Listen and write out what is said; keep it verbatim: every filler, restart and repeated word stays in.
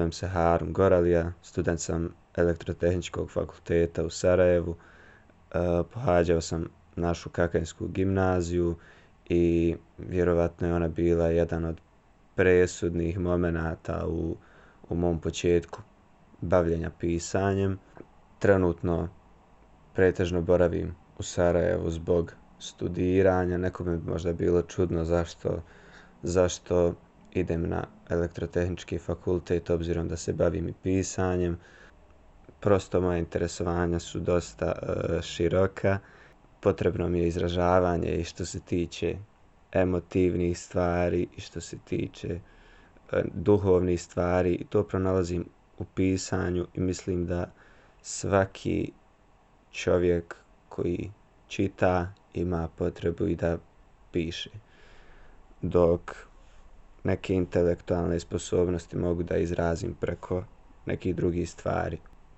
Zovem se Harun Goralija, student sam Elektrotehničkog fakulteta u Sarajevu. E, pohađao sam našu Kakensku gimnaziju i vjerovatno je ona bila jedan od presudnih momenata u, u mom početku bavljenja pisanjem. Trenutno pretežno boravim u Sarajevu zbog studiranja. Nekome bi možda bilo čudno zašto, zašto idem na elektrotehnički fakultet obzirom da se bavim i pisanjem. Prosto moje interesovanja su dosta uh, široka. Potrebno mi je izražavanje i što se tiče emotivnih stvari i što se tiče uh, duhovnih stvari. I to pronalazim u pisanju i mislim da svaki čovjek koji čita ima potrebu i da piše. Dok neke intelektualne sposobnosti mogu da izrazim preko nekih drugih stvari.